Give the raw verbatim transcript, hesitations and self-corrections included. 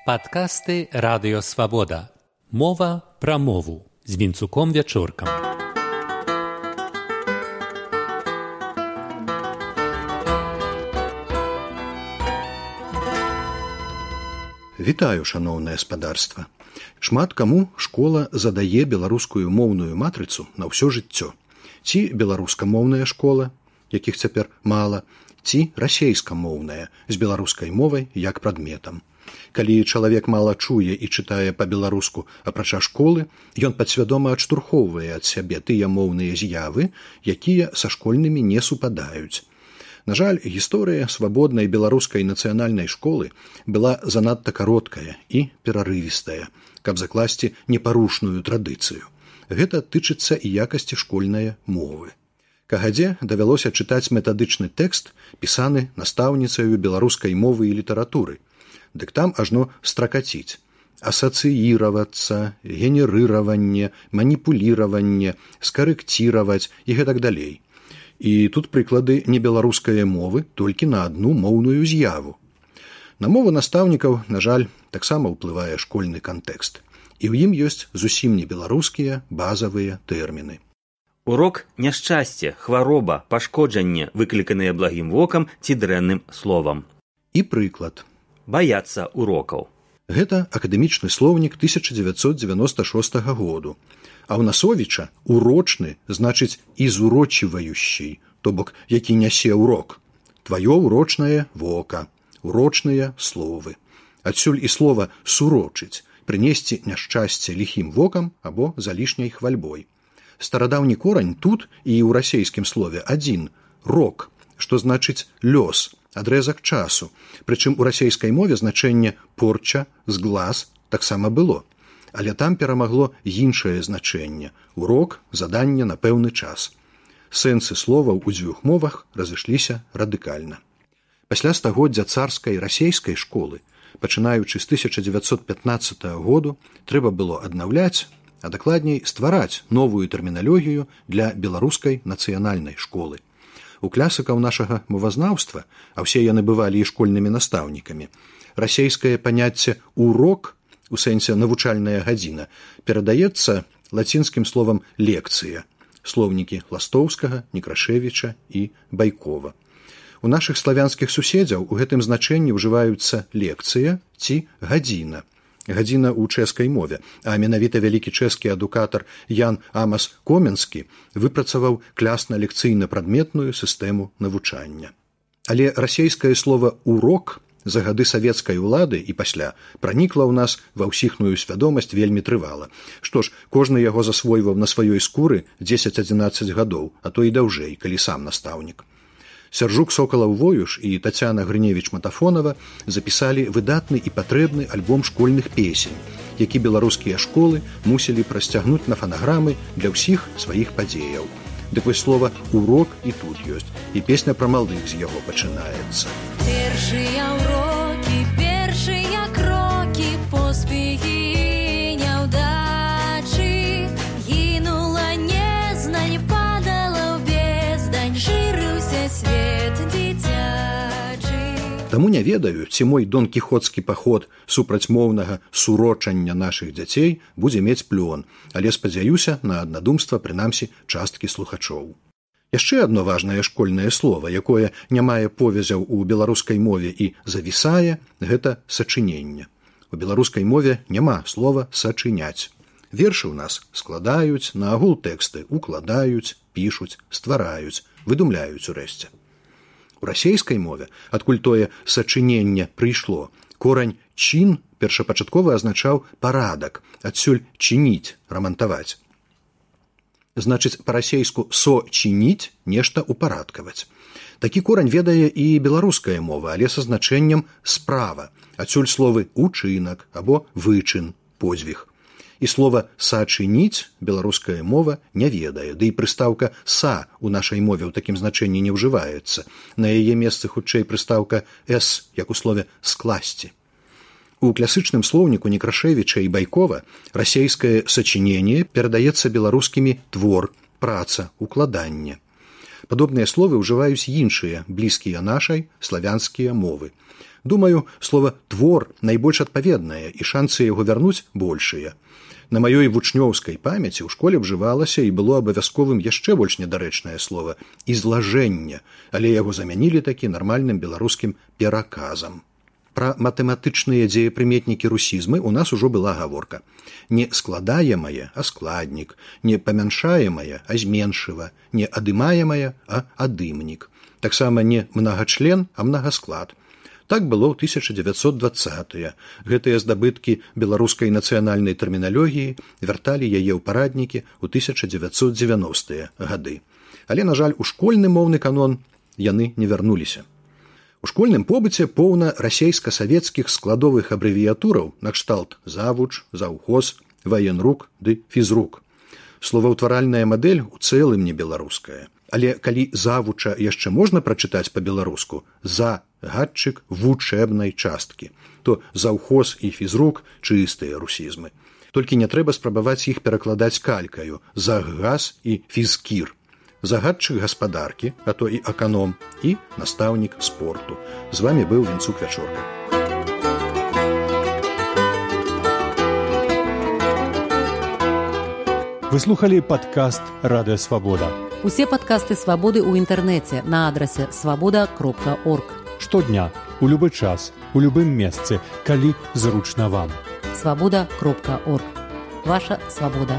Падкасты Радыё Свабода. Мова пра мову з Вінцуком Вячоркам. Вітаю, шаноўнае спадарства. Шмат каму школа задае беларускую моўную матрыцу на ўсё жыццё. Ці беларускамоўная школа, якіх цяпер мала, ці расейскамоўная з беларускай мовай як прадметам. Калі чалавек мала чуе і чытае па-беларуску, апрача школы, ён падсвядома адштурхоўвае ад сябе тыя моўныя з'явы, якія са школьнымі не супадаюць. На жаль, гісторыя свабоднай беларускай нацыянальнай школы была занадта кароткая і перарывістая, каб закласці непарушную традыцыю. Гэта тычыцца і якасці школьнай мовы. Кагадзе давялося чытаць метадычны тэкст, пісаны настаўніцаю беларускай мовы і літаратуры. Дык там ажно стракаціць. Асацыіравацца, генерыраванне, маніпуліраванне, скарэкціраваць і гэтак далей. І тут прыклады небеларускае мовы толькі на адну моўную з'яву. На мову настаўнікаў, на жаль, таксама ўплывае школьны кантэкст. І ў ім ёсць зусім не беларускія базавыя тэрміны. Урок – няшчасце, хвароба, пашкоджанне, выкліканыя благім вокам ці дрэнным словам. І прыклад. Баяцца урокаў. Гэта акадэмічны слоўнік тысяча дзевяцьсот дзевяноста шостага году. А ў Насовіча урочны значыць ізурочіваючы, то бок які нясе урок. Тваё урочнае вока, урочныя словы. Адсюль і слова сурочыць, прынесці няшчасце ліхім вокам або залішняй хвальбой. Старадаўні корань тут і ў расейскім слове адзін – рок, што значыць лёс, адрэзак часу, прычым у расейскай мове значэнне порча, зглаз таксама было, але там перамагло іншае значэнне – урок, заданне на пэўны час. Сэнсы словаў у дзвюх мовах разышліся радыкальна. Пасля стагоддзя царскай расейскай школы, пачынаючы з тысяча дзевяцьсот пятнаццатага году, трэба было аднаўляць, а дакладней ствараць новую тэрміналогію для беларускай нацыянальнай школы. У класыкаў нашага мовазнаўства, а ўсе яны бывалі і школьнымі настаўнікамі, расейскае паняцце «урок» у сэнсе навучальная гадзіна перадаецца лацінскім словам «лекцыя», слоўнікі Ластоўскага, Некрашевіча і Байкова. У нашых славянскіх суседзяў у гэтым значэнні ўжываюцца лекцыя ці гадзіна. Гадзіна ў чэшскай мове, а менавіта вялікі чэшскі адукатар Ян Амас Коменскі выпрацаваў клясна-лекцыйна-прадметную сістэму навучання. Але расейскае слова «урок» за гады савецкай улады і пасля пранікла ў нас ва ўсіхную свядомасць вельмі трывала. Што ж, кожны яго засвойваў на сваёй скуры дзесяць-адзінаццаць гадоў, а то і даўжэй, калі сам настаўнік. Сяржук Сокалаў-Воюш і Тацяна Грыневіч-Матафонава запісалі выдатны і патрэбны альбом школьных песень, які беларускія школы мусілі прасцягнуць на фанаграмы для ўсіх сваіх падзеяў. Дык вось слова «урок» і тут ёсць, і песня пра малых з яго пачынаецца. Першыя ўрокі, першыя крокі, поспехі няўдачы, гінула незнань, падала ў бездань, жырыўся свет дзіцячы. Таму не ведаю, ці мой дон-кіхоцкі паход супраць моўнага сурочання нашых дзяцей будзе мець плён, але спадзяюся на аднадумства, прынамсі, часткі слухачоў. Яшчэ адно важнае школьнае слова, якое не мае повязяў у беларускай мове і завісае, гэта сачыненне. У беларускай мове няма слова «сачыняць». Вершы ў нас складаюць, на агул тэксты укладаюць, пішуць, ствараюць, выдумляюць урэшце. У расейскай мове, адкуль тое сачыненне прыйшло, корань «чин» першапачаткова азначаў парадак, адсюль «чыніць», рамантаваць. Значыць, па-расейску «со-чыніць» нешта упарадкаваць. Такі корань ведае і беларуская мова, але са значэннем «справа», адсюль словы «учынак» або «вычын», «подзвіг». І слова «сачыніць» беларуская мова не ведае, ды і прыстаўка «са» у нашай мове ў такім значэнні не ўжываецца. На яе месцы хутчэй прыстаўка «с», як у слове «скласці». У класычным слоўніку Некрашевіча і Байкова расейскае сачыненне перадаецца беларускімі твор, праца, укладанне. Падобныя словы ўжываюць іншыя, блізкія нашай, славянскія мовы. Думаю, слова «твор» найбольш адпаведнае, і шансы яго вярнуць большыя. На маёй вучнёўскай памяці ў школе ўжывалася і было абавязковым яшчэ больш недарэчнае слова «ізлажэнне», але яго замянілі такі нармальным беларускім пераказам. Пра матэматычныя дзеепрыметнікі русізмы ў нас ужо была гаворка. Не складаемае, а складнік, не памяншаемае, а зменшыва, не адымаемае, а адымнік. Таксама не мнагачлен, а мнагасклад. Так было ў тысяча дзевяцьсот дваццатыя. Гэтыя здабыткі беларускай нацыянальнай тэрміналогіі вярталі яе ў параднікі ў тысяча дзевяцьсот дзевяностыя гады. Але, на жаль, у школьны моўны канон яны не вярнуліся. У школьным побыце поўна расейска-савецкіх складовых абрэвіятураў накшталт завуч, заўхоз, ваенрук ды фізрук. Словаўтваральная мадэль у цэлым не беларуская. Але калі завуча яшчэ можна прачытаць па-беларуску за гадчык вучэбнай часткі, то заўхоз і фізрук чыстыя русізмы. Толькі не трэба спрабаваць іх перакладаць калькаю загаз і фізкір. Загадчык гаспадаркі, а то і аканом, і настаўнік спорту. З вамі быў Вінцук Вячорка. Вы слухали падкаст «Радыё Свабода». Усе падкасты «Свабоды» ў інтэрнэце на адрасе свабода кропка орг. Штодня, у любы час, у любым месцы, калі зручна вам. свабода кропка орг. Ваша свабода.